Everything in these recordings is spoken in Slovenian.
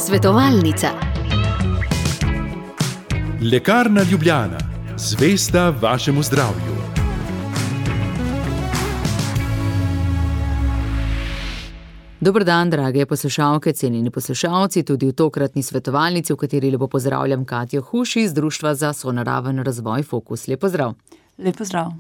Svetovalnica. Lekarna Ljubljana, zvesta vašemu zdravju. Dober dan, drage poslušalke, cenjeni poslušalci, tudi v tokratni svetovalnici, v kateri lepo pozdravljam Katjo Huš iz Društva za sonaraven razvoj Fokus. Lep pozdrav. Lep pozdrav.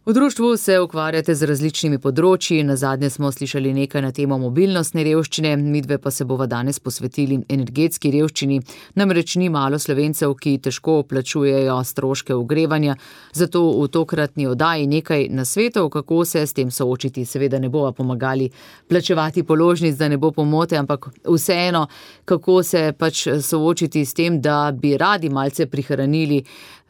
V društvu se ukvarjate z različnimi področji, nazadnje smo slišali nekaj na temo mobilnostne revščine, midve pa se bova danes posvetili energetski revščini, namreč ni malo Slovencev, ki težko plačujejo stroške ogrevanja, zato v tokratni oddaji nekaj nasvetov, kako se s tem soočiti. Seveda ne bova pomagali plačevati položnic, da ne bo pomote, ampak vseeno, kako se pač soočiti s tem, da bi radi malce prihranili.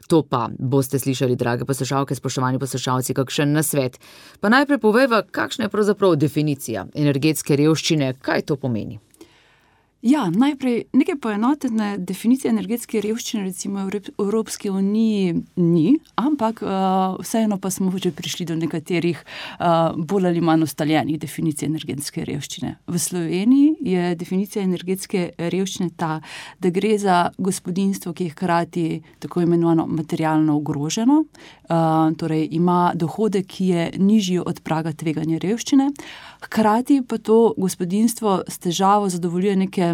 To pa boste slišali, drage poslušalke, spoštovani poslušalci, kakšen nasvet. Pa najprej povejva, kakšna je pravzaprav definicija energetske revščine, kaj to pomeni? Ja, najprej nekaj poenotene definicije energetske revščine recimo v Evropski uniji ni, ampak vseeno pa smo že prišli do nekaterih bolj ali manj ustaljenih definicij energetske revščine. V Sloveniji je definicija energetske revščine ta, da gre za gospodinjstvo, ki je hkrati tako imenovano materialno ogroženo, torej ima dohodek, ki je nižji od praga tveganja revščine, hkrati pa to gospodinjstvo s težavo zadovoljuje neke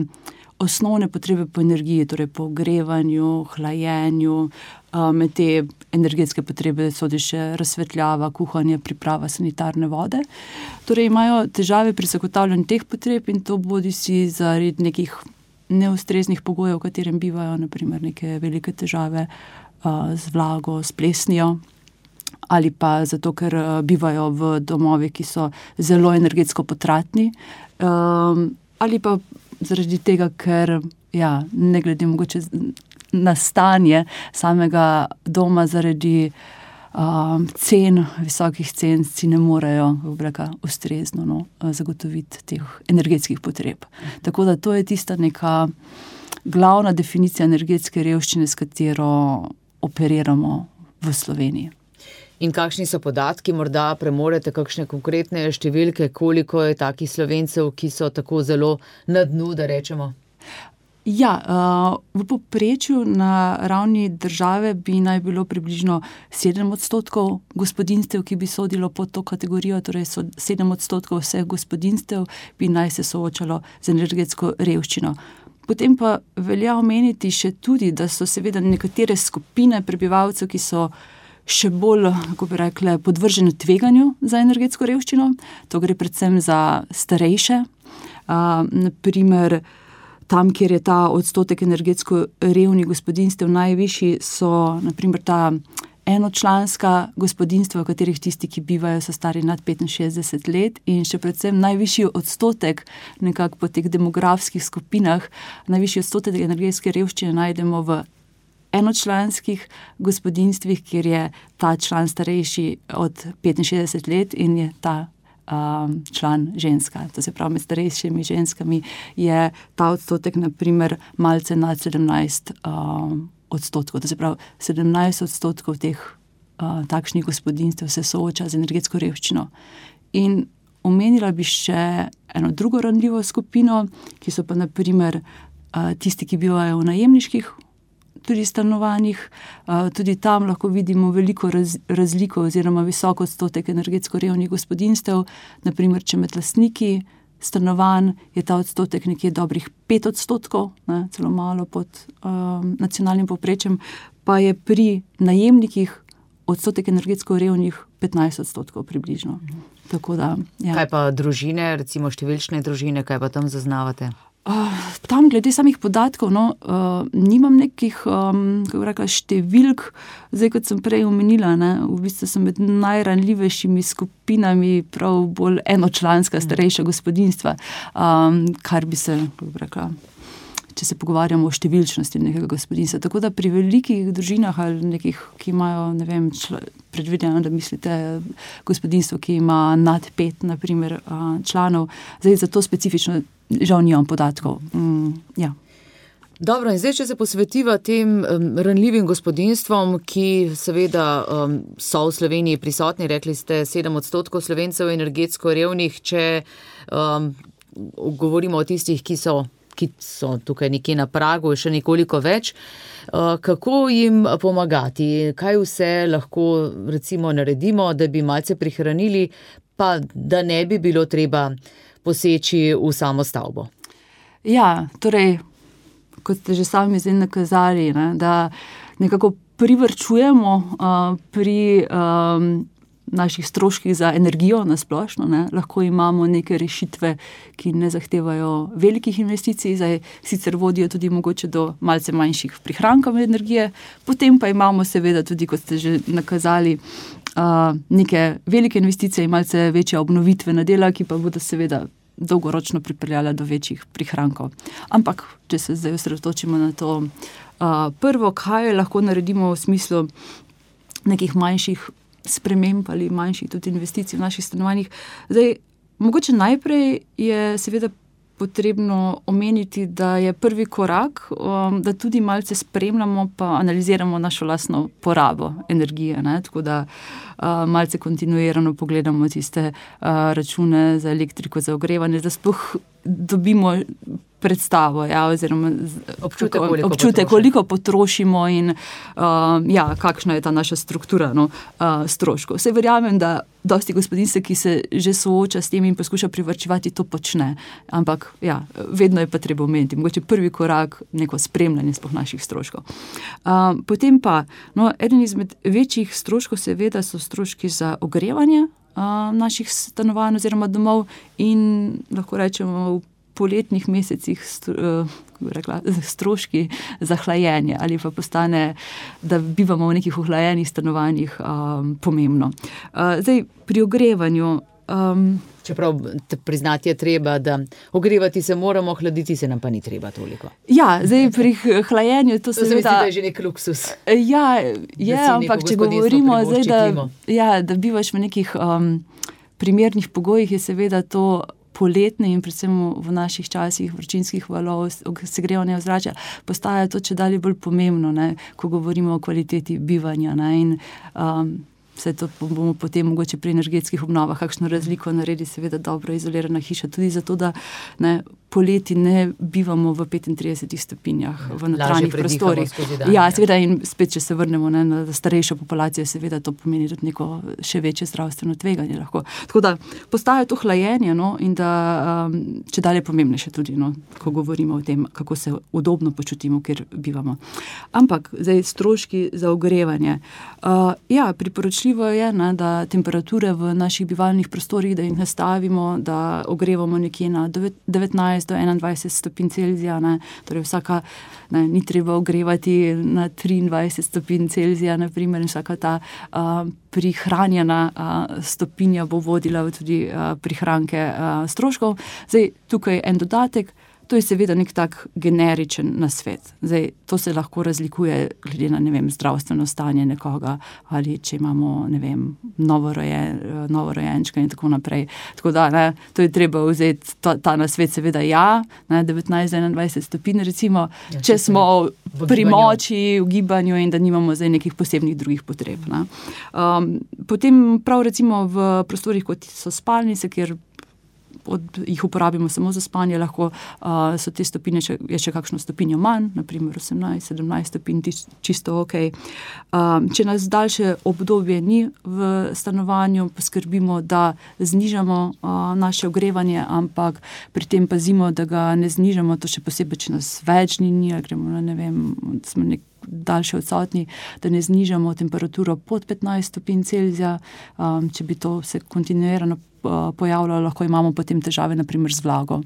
osnovne potrebe po energiji, torej po ogrevanju, hlajenju, med te energetske potrebe sodi še razsvetljava, kuhanje, priprava sanitarne vode. Torej imajo težave pri zagotavljanju teh potreb in to bodisi zaradi nekih neustreznih pogojev, v katerem bivajo, naprimer neke velike težave z vlago, s plesnijo, ali pa zato, ker bivajo v domovih, ki so zelo energetsko potratni, ali pa zaradi tega, ker ne glede mogoče na stanje samega doma zaradi visokih cen si ne morejo ustrezno zagotoviti teh energetskih potreb. Tako da to je tista neka glavna definicija energetske revščine, s katero operiramo v Sloveniji. In kakšni so podatki, morda premorete kakšne konkretne številke, koliko je takih Slovencev, ki so tako zelo na dnu, da rečemo? Ja, v povprečju na ravni države bi naj bilo približno 7% gospodinjstev, ki bi sodilo pod to kategorijo, torej 7% vseh gospodinjstev bi naj se soočalo z energetsko revščino. Potem pa velja omeniti še tudi, da so seveda nekatere skupine prebivalcev, ki so še bolj, kako bi rekle, podvržene tveganju za energetsko revščino. To gre predvsem za starejše. Naprimer, tam, kjer je ta odstotek energetsko revnih gospodinjstev najvišji, so naprimer ta enočlanska gospodinjstva, v katerih tisti, ki bivajo, so stari nad 65 let in še predvsem najvišji odstotek nekako po teh demografskih skupinah, najvišji odstotek energetske revščine najdemo v enočlanskih gospodinjstvih, kjer je ta član starejši od 65 let in je ta član ženska. To se pravi, med starejšimi ženskami je ta odstotek naprimer malce nad 17%. To se pravi, 17% teh takšnih gospodinjstev se sooča z energetsko revščino. In omenila bi še eno drugo ranljivo skupino, ki so pa naprimer tisti, ki bivajo v najemniških tudi stanovanjih. Tudi tam lahko vidimo veliko razliko oziroma visok odstotek energetsko revnih gospodinjstev. Naprimer, če med lastniki stanovanj je ta odstotek nekje dobrih 5%, celo malo pod nacionalnim povprečjem, pa je pri najemnikih odstotek energetsko revnih 15% približno. Tako da, Kaj pa družine, recimo številčne družine, kaj pa tam zaznavate? Tam glede samih podatkov, nimam nekih številk, zdaj kot sem prej omenila, v bistvu sem med najranljivejšimi skupinami prav bolj enočlanska starejša gospodinjstva, kar bi se, če se pogovarjamo o številčnosti nekega gospodinjstva. Tako da pri velikih družinah ali nekih, ki imajo, predvideno, da mislite gospodinjstvo, ki ima nad 5 naprimer članov, zdaj za to specifično žal nimam podatkov. Dobro, in zdaj, če se posvetiva tem ranljivim gospodinjstvom, ki seveda so v Sloveniji prisotni, rekli ste 7% Slovencev energetsko revnih, če govorimo o tistih, ki so ki so tukaj nekje na pragu, še nekoliko več. Kako jim pomagati? Kaj vse lahko recimo naredimo, da bi malce prihranili, pa da ne bi bilo treba poseči v samo stavbo? Ja, torej, kot ste že sami zdaj nakazali, ne, da nekako privarčujemo pri naših stroških za energijo na splošno. Ne. Lahko imamo neke rešitve, ki ne zahtevajo velikih investicij, zdaj sicer vodijo tudi mogoče do malce manjših prihrankov energije, potem pa imamo seveda tudi, kot ste že nakazali, neke velike investicije in malce večja obnovitvena dela, ki pa bodo seveda dolgoročno pripeljala do večjih prihrankov. Ampak, če se zdaj osredotočimo na to, prvo, kaj lahko naredimo v smislu nekih manjših sprememb ali manjših tudi investicij v naših stanovanjih. Zdaj, mogoče najprej je seveda potrebno omeniti, da je prvi korak, da tudi malce spremljamo pa analiziramo našo lastno porabo energije, ne? Tako da malce kontinuirano pogledamo tiste račune za elektriko, za ogrevanje, da sploh dobimo predstavo, ja, oziroma občutek, koliko potrošimo in kakšna je ta naša struktura stroškov. Vse verjamem, da dosti gospodinjstev, ki se že sooča s tem in poskuša privarčevati, to počne. Ampak vedno je pa treba omeniti. Mogoče prvi korak, neko spremljanje sploh naših stroškov. Potem pa, eden izmed večjih stroškov seveda so stroški za ogrevanje naših stanovanj oziroma domov in lahko rečemo v poletnih mesecih stroški za hlajenje ali pa postane, da bivamo v nekih ohlajenih stanovanjih, pomembno. Zdaj, pri ogrevanju čeprav priznati je treba, da ogrevati se moramo, hladiti se nam pa ni treba toliko. Ja, zdaj pri hlajenju to seveda... To se mi zdi, da je že nek luksus. Ja, ampak če govorimo zdaj, da bivaš v nekih primernih pogojih, je seveda to poletne in predvsem v naših časih vročinskih valov, segrevanja ozračja, postaja to čedalje bolj pomembno, ne, ko govorimo o kvaliteti bivanja, ne, in vse to bomo potem mogoče pri energetskih obnovah kakšno razliko naredi, seveda dobro izolirana hiša, tudi zato, da poleti ne bivamo v 35 stopinjah v notranjih prostorih. Ja, seveda, in spet, če se vrnemo na starejšo populacijo, seveda to pomeni tudi neko še večje zdravstveno tveganje lahko. Tako da postaja to hlajenje, in da čedalje pomembnejše tudi, ko govorimo o tem, kako se udobno počutimo, kjer bivamo. Ampak, zdaj stroški za ogrevanje. Priporočljivo je, da temperature v naših bivalnih prostorih, da jih nastavimo, da ogrevamo nekje na 19 do 21 stopinj Celzija, torej vsaka, ni treba ogrevati na 23 stopinj Celzija, naprimer, in vsaka ta prihranjena stopinja bo vodila tudi prihranke stroškov. Zdaj, tukaj en dodatek, to je seveda nek tak generičen nasvet. Zdaj, to se lahko razlikuje glede na, zdravstveno stanje nekoga, ali če imamo, novorojenčka in tako naprej. Tako da, to je treba vzeti, ta nasvet seveda 19-21 stopinj, recimo, če smo pri moči, v gibanju in da nimamo zdaj nekih posebnih drugih potreb. Potem prav recimo v prostorih, kot so spalnice, kjer jih uporabimo samo za spanje, lahko so te stopinje, je še kakšno stopinjo manj, naprimer 18-17 stopinj, čisto ok. Če nas daljše obdobje ni v stanovanju, poskrbimo, da znižamo naše ogrevanje, ampak pri tem pazimo, da ga ne znižamo, to še posebej, če nas več ni, ali gremo, smo daljše odsotni, da ne znižamo temperaturo pod 15 stopinj Celzija, če bi to se kontinuirano pojavljalo, lahko imamo potem težave, naprimer z vlago.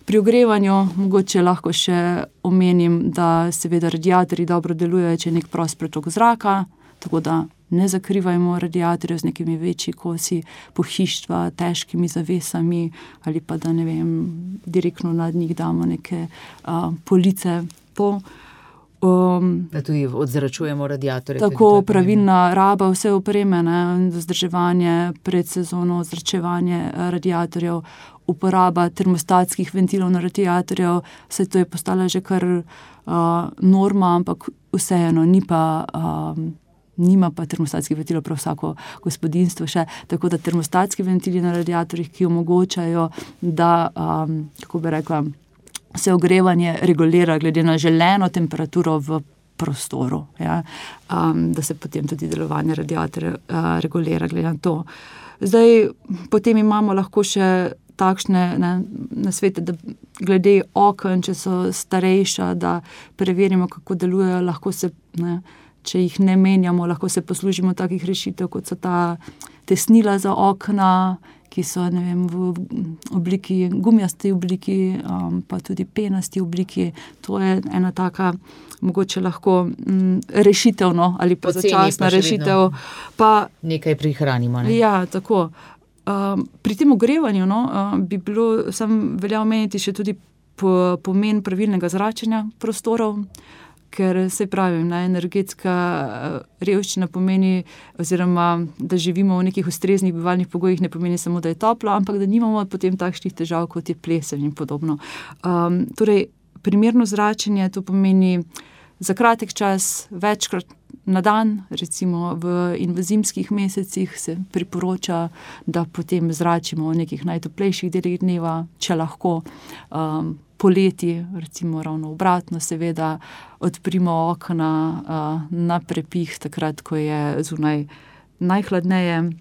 Pri ogrevanju mogoče lahko še omenim, da seveda radiatorji dobro delujejo, če je nek prost pretok zraka, tako da ne zakrivajmo radiatorjev z nekimi večji kosi pohištva, težkimi zavesami ali pa da, direktno nad njih damo neke police da tudi odzračujemo radiatorje. Tako, pravilna raba vse opreme, vzdrževanje pred sezono, ozračevanje radiatorjev, uporaba termostatskih ventilov na radiatorjev, vse to je postala že kar norma, ampak vseeno nima pa termostatskih ventilov prav vsako gospodinjstvo še, tako da termostatski ventili na radiatorjih, ki omogočajo, da, kako bi rekla, se ogrevanje regulira glede na želeno temperaturo v prostoru, ja, da se potem tudi delovanje radiatorja regulira glede na to. Zdaj, potem imamo lahko še takšne nasvete, da glede oken, če so starejša, da preverimo, kako delujejo, lahko se, če jih ne menjamo, lahko se poslužimo takih rešitev, kot so ta tesnila za okna, ki so, v obliki, gumijasti obliki, pa tudi penasti obliki. To je ena taka, mogoče lahko rešitev, ali pa začasna rešitev. Pa nekaj prihranimo, ne? Ja, tako. Pri tem ogrevanju, bi bilo, velja omeniti še tudi pomen pravilnega zračenja prostorov, ker se pravi, energetska revščina pomeni, oziroma da živimo v nekih ustreznih bivalnih pogojih, ne pomeni samo, da je toplo, ampak da nimamo potem takšnih težav, kot je plesen in podobno. Torej, primerno zračenje, to pomeni za kratek čas, večkrat na dan, recimo v zimskih mesecih se priporoča, da potem zračimo v nekih najtoplejših delih dneva, če lahko. Poleti, recimo ravno obratno, seveda odprimo okna na prepih, takrat, ko je zunaj najhladneje.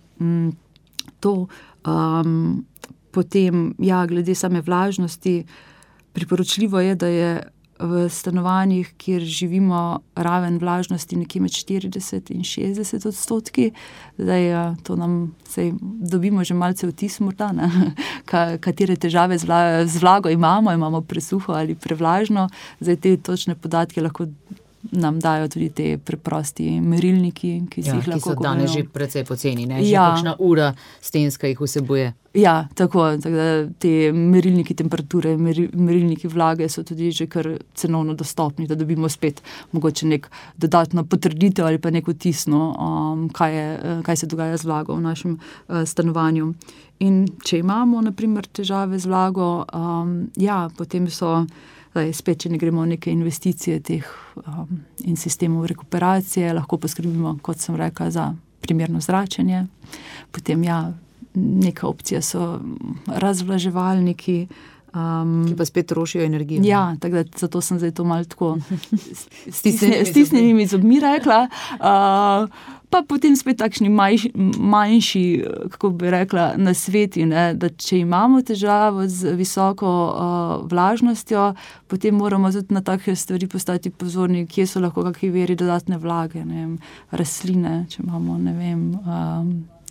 Potem, glede same vlažnosti, priporočljivo je, da je v stanovanjih, kjer živimo, raven vlažnosti nekje med 40 in 60%. Zdaj, to nam dobimo že malce vtis morda, katere težave z vlago imamo presuho ali prevlažno. Zdaj, te točne podatke lahko nam dajo tudi te preprosti merilniki, ki si jih lahko... Ki so danes že precej poceni, ne? Že kakšna ura stenska jih vsebuje. Ja, tako da te merilniki temperature, merilniki vlage so tudi že kar cenovno dostopni, da dobimo spet mogoče nek dodatno potrditev ali pa nek vtis, kaj se dogaja z vlago v našem stanovanju. In če imamo, na primer, težave z vlago, potem so... Spet, če ne gremo v neke investicije teh in sistemov rekuperacije, lahko poskrbimo, kot sem rekla, za primerno zračenje. Potem, neka opcija so razvlaževalniki. Ki pa spet trošijo energijo. Ja, tako da zato sem zdaj to malo tako stisnjenimi zobmi rekla. Pa potem spet takšni manjši, kako bi rekla, nasveti, da če imamo težavo z visoko vlažnostjo, potem moramo tudi na take stvari postati pozorni, kje so lahko kakšni viri dodatne vlage, rastline, če imamo,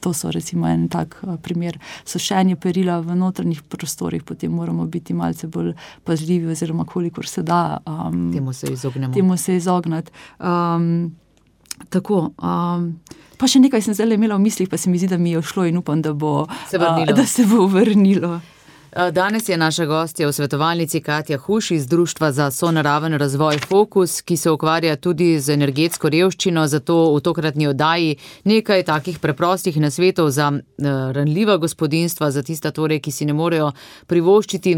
to so recimo en tak primer, sušenje perila v notranjih prostorih, potem moramo biti malce bolj pazljivi, oziroma kolikor se da. Temu se izognati. Tako. Pa še nekaj sem zdaj imela v mislih, pa se mi zdi, da mi je šlo in upam, da se bo vrnilo. Danes je naša gostja v svetovalnici Katja Huš iz Društva za sonaraven razvoj Fokus, ki se ukvarja tudi z energetsko revščino, zato v tokratni oddaji nekaj takih preprostih nasvetov za ranljiva gospodinjstva, za tista torej, ki si ne morejo privoščiti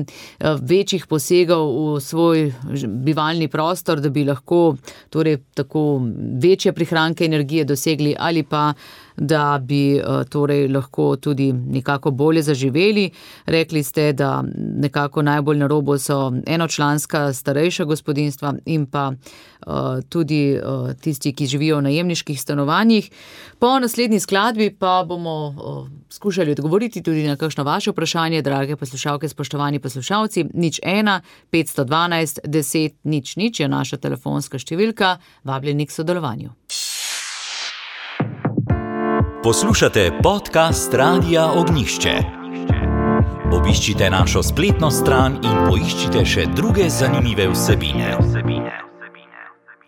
večjih posegov v svoj bivalni prostor, da bi lahko torej tako večje prihranke energije dosegli ali pa da bi torej lahko tudi nekako bolje zaživeli. Rekli ste, da nekako najbolj na robu so enočlanska starejša gospodinjstva in pa tudi tisti, ki živijo v najemniških stanovanjih. Po naslednji skladbi pa bomo skušali odgovoriti tudi na kakšno vaše vprašanje, drage poslušalke, spoštovani poslušalci. 01 512 10 00 je naša telefonska številka. Vabljeni k sodelovanju. Poslušate podcast Radia Ognjišče. Obiščite našo spletno stran in poiščite še druge zanimive vsebine.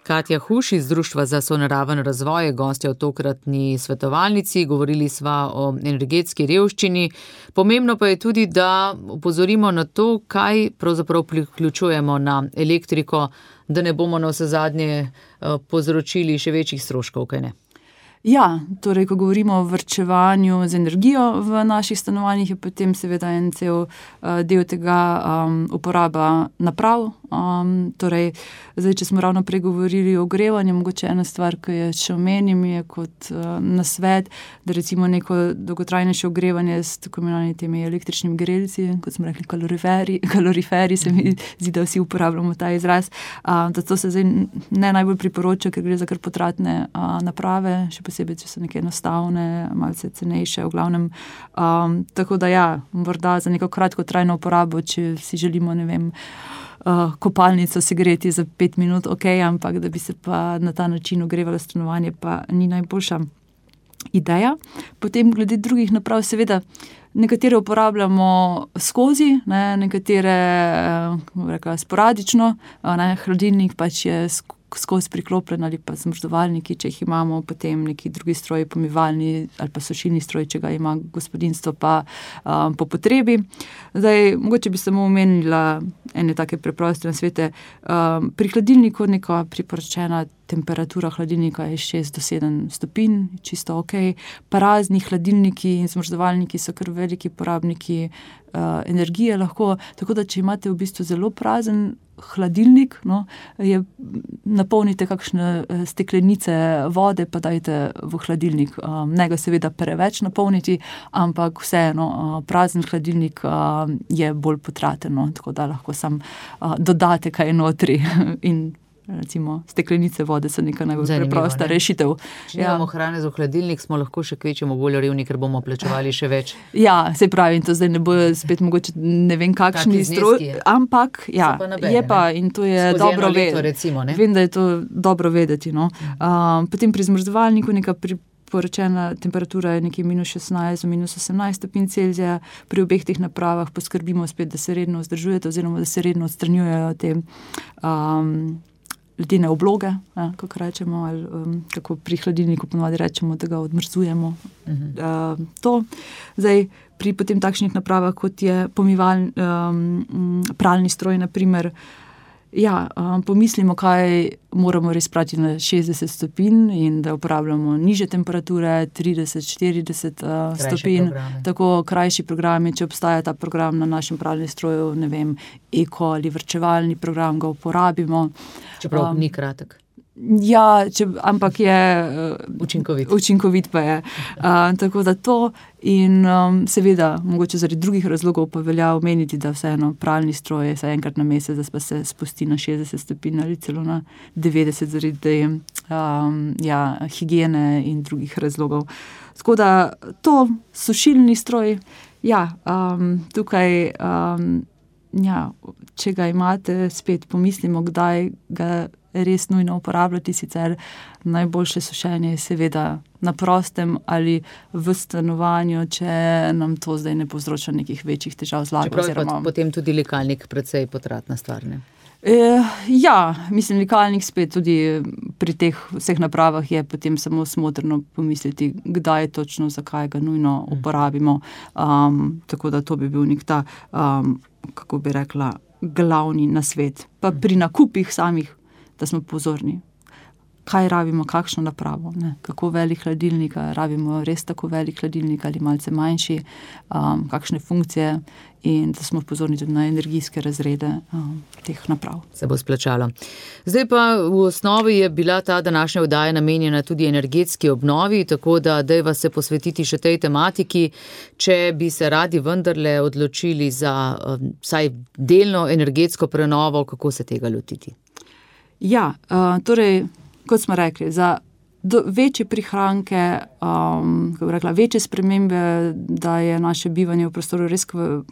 Katja Huš iz Društva za sonaraven razvoj je gostja v tokratni svetovalnici. Govorili sva o energetski revščini. Pomembno pa je tudi, da opozorimo na to, kaj pravzaprav priključujemo na elektriko, da ne bomo na vse zadnje povzročili še večjih stroškov, kaj ne? Ja, torej, ko govorimo o varčevanju z energijo v naših stanovanjih, je potem seveda en cel del tega uporaba naprav. Torej, zdaj, če smo ravno pregovorili o ogrevanju, mogoče ena stvar, ki je še omenim, je kot nasvet, da recimo neko dolgotrajnejše ogrevanje s tako imenovanimi temi električnimi grelci, kot smo rekli kaloriferi, se mi zdi, da vsi uporabljamo ta izraz, da to se zdaj ne najbolj priporoča, ker gre za kar potratne naprave, še posebej, če so neke enostavne, malce cenejše, v glavnem. Tako da ja, morda za neko kratkotrajno uporabo, če si želimo, ne vem, kopalnico segreti za 5 minut, ampak da bi se pa na ta način ogrevalo stanovanje, pa ni najboljša ideja. Potem glede drugih naprav, seveda, nekatere uporabljamo skozi, nekatere sporadično, hladilnik pač je skozi priklopljen ali pa zmrzovalniki, če jih imamo, potem neki drugi stroj, pomivalni ali pa sušilni stroj, če ga ima gospodinjstvo pa po potrebi. Zdaj, mogoče bi samo omenila ene take preproste nasvete. Pri hladilniku neka priporočena temperatura hladilnika je 6 do 7 stopinj, čisto pa razni hladilniki in zmrzovalniki so kar veliki porabniki energije lahko, tako da če imate v bistvu zelo prazen hladilnik, napolnite kakšne steklenice vode, pa dajte v hladilnik. Ne ga seveda preveč napolniti, ampak vseeno prazen hladilnik je bolj potraten, tako da lahko sam dodate kaj notri in recimo steklenice vode so neka najbolj preprosta rešitev. Če imamo hrane za hladilnik, smo lahko še kvečemo bolj revni, ker bomo plačevali še več. Ja, se pravi, in to zdaj ne bo spet mogoče ne vem kakšni stroj, ampak ja, je pa in to je dobro vedeti. Vem, da je to dobro vedeti. Potem pri zmrzovalniku neka priporočena temperatura je nekje -16 do -18 stopinj Celzija. Pri obeh teh napravah poskrbimo spet, da se redno vzdržujete oziroma da se redno odstranjujejo te ledene obloge, kako rečemo, ali kako pri hladilniku ponovadi rečemo, da ga odmrzujemo. To. Zdaj, pri potem takšnih napravah, kot je pralni stroj, na primer, pomislimo, kaj moramo res prati na 60 stopinj in da uporabljamo nižje temperature, 30-40 stopinj, tako krajši programi, če obstaja ta program na našem pralnem stroju, ne vem, eko ali varčevalni program, ga uporabimo. Čeprav ni kratek. Ja, ampak je učinkovit pa je. Tako da to in seveda, mogoče zaradi drugih razlogov pa velja omeniti, da vseeno pralni stroj je enkrat na mesec, da pa se spusti na 60 stopinj ali celo na 90 zaradi higiene in drugih razlogov. Tako da to, sušilni stroj, tukaj če ga imate, spet pomislimo, kdaj ga res nujno uporabljati, sicer najboljše sušenje je seveda na prostem ali v stanovanju, če nam to zdaj ne povzroča nekih večjih težav z vlago. Čeprav je potem tudi likalnik precej potratna stvar, ne? Mislim, likalnik spet tudi pri teh vseh napravah je potem samo smotrno pomisliti, kdaj točno, zakaj ga nujno uporabimo. Tako da to bi bil nek ta, kako bi rekla, glavni nasvet. Pa pri nakupih samih, da smo pozorni, kaj rabimo, kakšno napravo, kako velik hladilnik, rabimo res tako velik hladilnik ali malce manjši, kakšne funkcije in da smo pozorni tudi na energijske razrede teh naprav. Se bo splačalo. Zdaj pa v osnovi je bila ta današnja oddaja namenjena tudi energetski obnovi, tako da dajva se posvetiti še tej tematiki, če bi se radi vendarle odločili za vsaj delno energetsko prenovo, kako se tega lotiti? Ja, torej, kot smo rekli, za večje prihranke, kako bi rekla, večje spremembe, da je naše bivanje v prostoru res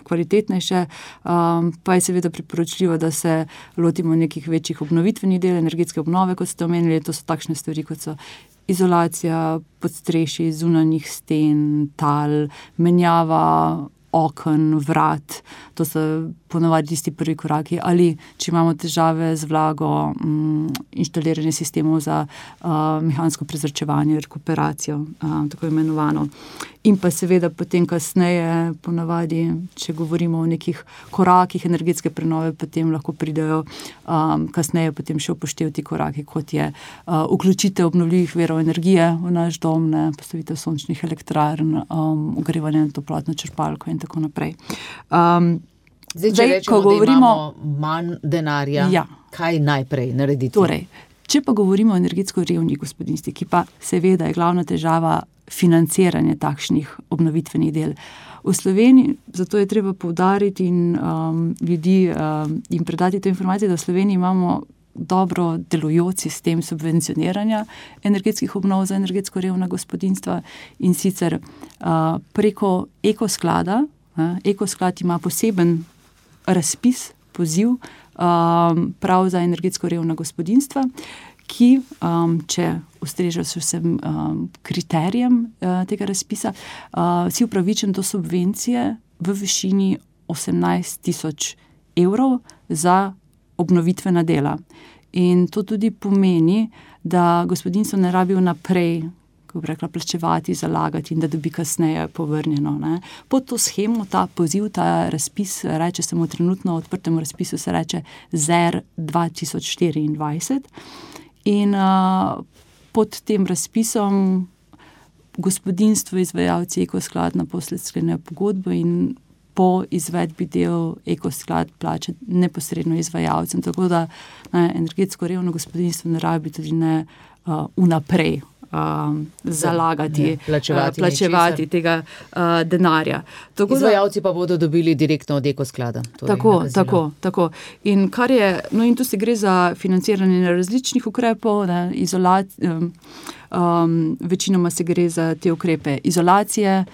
kvalitetnejše, pa je seveda priporočljivo, da se lotimo nekih večjih obnovitvenih del, energetske obnove, kot ste omenili. To so takšne stvari, kot so izolacija podstrešij, zunanjih sten, tal, menjava oken, vrat. To so ponovadi tisti prvi koraki, ali če imamo težave z vlago, inštaliranje sistemov za mehansko prezračevanje, rekuperacijo, tako imenovano. In pa seveda potem kasneje, ponavadi, če govorimo o nekih korakih energetske prenove, potem lahko pridejo kasneje potem še upoštevati koraki, kot je vključitev obnovljivih virov energije v naš dom, postavitev sončnih elektrarn, ogrevanje na toplotno črpalko in tako naprej. Zdaj, če rečemo, da imamo manj denarja, kaj najprej narediti? Torej, če pa govorimo o energetsko revnih gospodinjstvih, ki pa seveda je glavna težava financiranje takšnih obnovitvenih del. V Sloveniji, zato je treba poudariti in ljudi in predati to informacijo, da v Sloveniji imamo dobro delujoč sistem subvencioniranja energetskih obnov za energetsko revna gospodinjstva in sicer preko Ekosklada. Ekosklad ima poseben razpis, poziv prav za energetsko revna gospodinjstva, ki, če ustrežajo se vsem kriterijem tega razpisa, si upravičen do subvencije v višini 18.000 evrov za obnovitvena dela. In to tudi pomeni, da gospodinjstvo ne rabi vnaprej, kako bi rekla, plačevati, zalagati in da dobi kasneje povrnjeno. Pod to shemo, ta poziv, ta razpis, reče se mu trenutno odprtemu razpisu, se reče ZER 2024. In pod tem razpisom gospodinjstvo, izvajalci Ekosklad naposled sklenejo pogodbo in po izvedbi del Ekosklad plača neposredno izvajalcem. Tako da energetsko revno gospodinjstvo ne rabi tudi ne vnaprej zalagati, plačevati tega denarja. Izvajalci pa bodo dobili direktno od Ekosklada. Tako. In kar je, in tu se gre za financiranje različnih ukrepov, večinoma se gre za te ukrepe izolacije,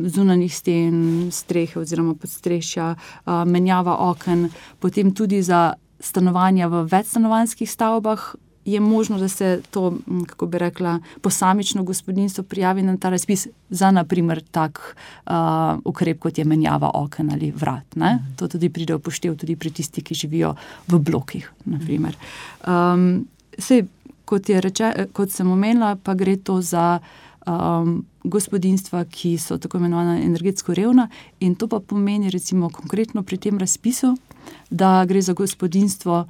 zunanjih sten, strehe oziroma podstrešja, menjava oken, potem tudi za stanovanja v večstanovanjskih stavbah, je možno, da se to, kako bi rekla, posamično gospodinjstvo prijavi na ta razpis za, na primer, tak ukrep, kot je menjava oken ali vrat. To tudi pride upoštev tudi pri tisti, ki živijo v blokih, na primer. Kot sem omenila, pa gre to za gospodinjstva, ki so tako imenovana energetsko revna, in to pa pomeni recimo konkretno pri tem razpisu, da gre za gospodinjstvo,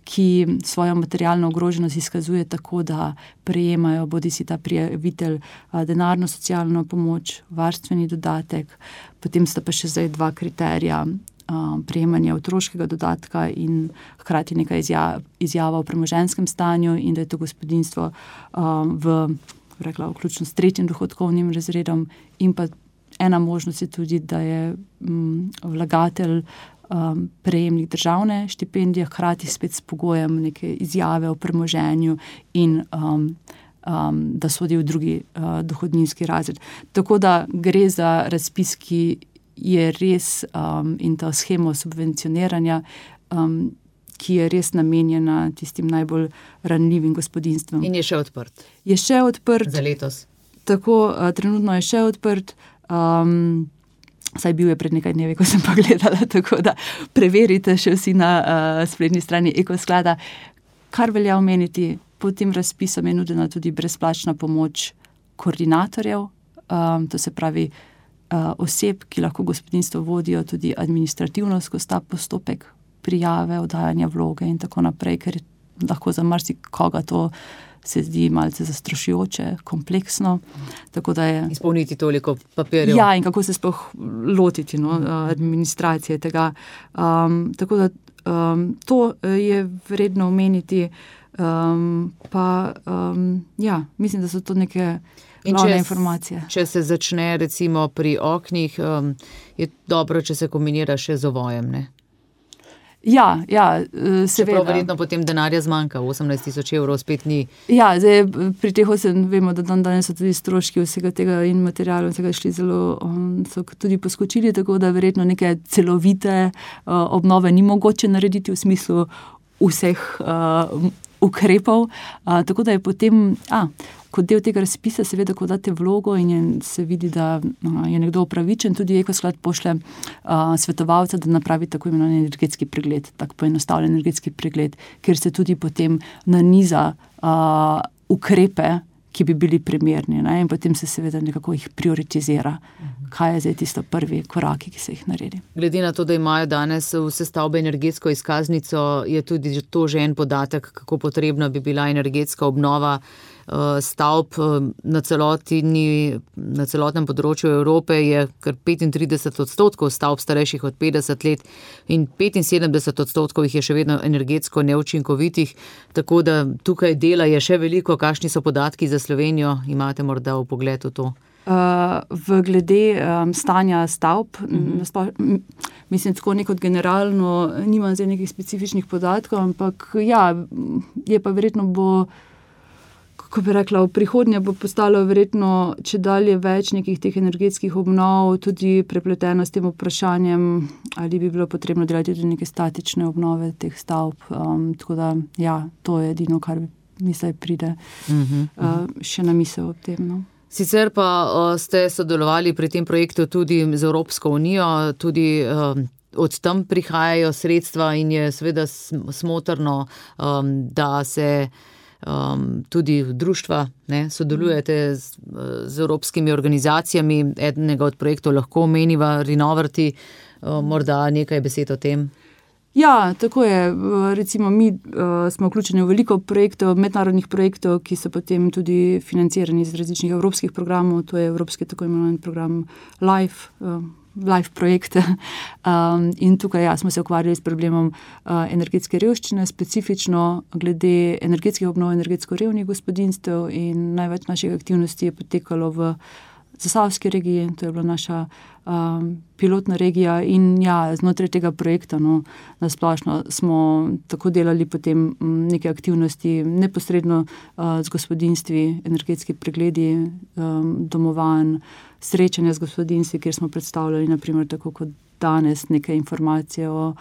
ki svojo materialno ogroženost izkazuje tako, da prejemajo bodisi ta prijavitelj denarno socialno pomoč, varstveni dodatek, potem sta pa še zdaj dva kriterija, prejemanje otroškega dodatka in hkrati neka izjava o premoženjskem stanju in da je to gospodinjstvo vključno s tretjim dohodkovnim razredom, in pa ena možnost je tudi, da je vlagatelj prejemnik državne štipendije, hkrati spet s pogojem neke izjave o premoženju in da sodi v drugi dohodninski razred. Tako da gre za razpis, ki je res in ta shema subvencioniranja, ki je res namenjena tistim najbolj ranljivim gospodinjstvom. In je še odprt? Je še odprt. Za letos? Tako, trenutno je še odprt. Saj bil je pred nekaj dnevi, ko sem pa gledala, tako da preverite še vsi na spletni strani Ekosklada. Kar velja omeniti, pod tem razpisom je nudena tudi brezplačna pomoč koordinatorjev, to se pravi oseb, ki lahko gospodinjstvo vodijo tudi administrativno skozi ta postopek prijave, oddajanja vloge in tako naprej, ker lahko za marsikoga to se zdi malce zastrašujoče, kompleksno. Tako da je izpolniti toliko papirjev. Ja, in kako se sploh lotiti administracije tega. Tako da to je vredno omeniti. Mislim, da so to neke glavne informacije. Če se začne recimo pri oknih, je dobro, če se kombinira še z ovojem, ne? Ja, seveda. Čeprav verjetno potem denarja zmanjka, 18.000 evrov spet ni. Ja, zdaj pri teh vemo, da danes so tudi stroški vsega tega in materialov vsega šli zelo, so tudi poskočili, tako da verjetno neke celovite obnove ni mogoče narediti v smislu vseh ukrepov, tako da je potem, kot del tega razpisa, seveda, ko date vlogo in se vidi, da je nekdo upravičen, tudi Ekosklad pošlje svetovalca, da napravi tako imenovan energetski pregled, tako poenostavljen energetski pregled, kjer se tudi potem naniza ukrepe, ki bi bili primerni, ne? In potem se seveda nekako jih prioritizira, kaj je zdaj tisto prvi koraki, ki se jih naredi. Glede na to, da imajo danes vse stavbe energetsko izkaznico, je tudi to že en podatek, kako potrebna bi bila energetska obnova stavb na celotnem področju Evrope. Je kar 35% stavb starejših od 50 let in 75% jih je še vedno energetsko neučinkovitih, tako da tukaj dela je še veliko. Kakšni so podatki za Slovenijo? Imate morda vpogled v to? V glede stanja stavb, mislim, tako nekot generalno, nimam zdaj nekih specifičnih podatkov, ampak ja, je pa verjetno kako bi rekla, v prihodnje bo postalo verjetno čedalje več nekih teh energetskih obnov, tudi prepleteno s tem vprašanjem, ali bi bilo potrebno delati tudi neke statične obnove teh stavb. Tako da, ja, to je edino, kar mi zdaj pride še na misel ob tem. No. Sicer pa ste sodelovali pri tem projektu tudi z Evropsko unijo, tudi od tam prihajajo sredstva in je seveda smotrno, da se tudi društva sodelujete z evropskimi organizacijami. Enega od projektov lahko omeniva Renovrti, morda nekaj besed o tem. Ja, tako je. Recimo mi smo vključeni v veliko projektov, mednarodnih projektov, ki so potem tudi financirani iz različnih evropskih programov. To je evropski tako imenovan program LIFE projekte. In tukaj smo se ukvarjali s problemom energetske revščine, specifično glede energetskih obnov energetsko revnih gospodinjstev, in največ naših aktivnosti je potekalo v Zasavski regiji, to je bila naša pilotna regija, in ja, znotraj tega projekta, nasplošno smo tako delali potem neke aktivnosti neposredno z gospodinjstvi, energetski pregledi domovanj, srečanja z gospodinjstvi, kjer smo predstavljali, naprimer, tako kot danes, neke informacije o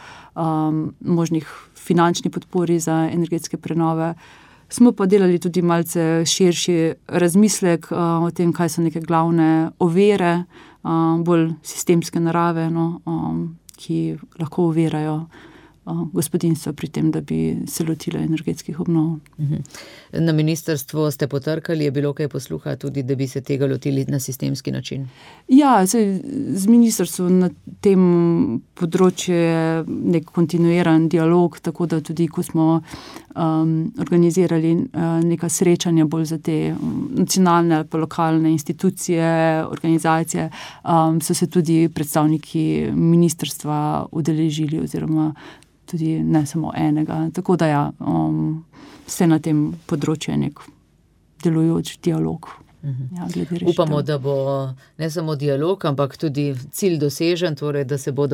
možnih finančni podpori za energetske prenove. Smo pa delali tudi malce širši razmislek o tem, kaj so neke glavne ovire, bolj sistemske narave, ki lahko ovirajo gospodinjstva pri tem, da bi se lotile energetskih obnov. Na ministrstvu ste potrkali, je bilo kaj posluha tudi, da bi se tega lotili na sistemski način? Ja, z ministrstvom na tem področju je nek kontinuiran dialog, tako da tudi, ko smo organizirali neka srečanja bolj za te nacionalne ali pa lokalne institucije, organizacije, so se tudi predstavniki ministrstva udeležili, oziroma tudi ne samo enega. Tako da ja, vse na tem področju je nek delujoč dialog. Ja, upamo, da bo ne samo dialog, ampak tudi cilj dosežen, torej da se bo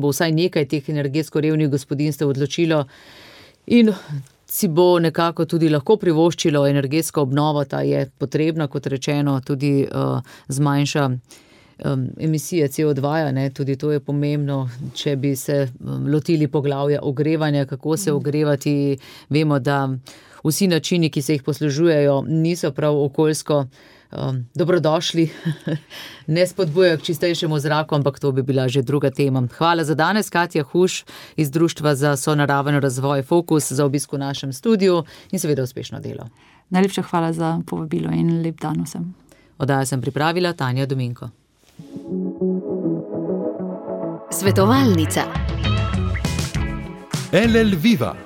vsaj nekaj teh energetsko revnih gospodinjstev odločilo in si bo nekako tudi lahko privoščilo energetsko obnovo. Ta je potrebna, kot rečeno, tudi zmanjša emisije CO2, tudi to je pomembno, če bi se lotili poglavja ogrevanja, kako se ogrevati. Vemo, da vsi načini, ki se jih poslužujejo, niso prav okoljsko dobrodošli, ne spodbujajo k čistejšemu zraku, ampak to bi bila že druga tema. Hvala za danes, Katja Huš iz Društva za sonaraven razvoj Fokus, za obisk v našem studiu in seveda uspešno delo. Najlepša hvala za povabilo in lep dan vsem. Oddajo sem pripravila Tanja Dominko. Svetovalnica. LL Viva,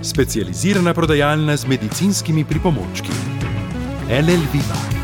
specializirana prodajalna z medicinskimi pripomočki. LL Viva.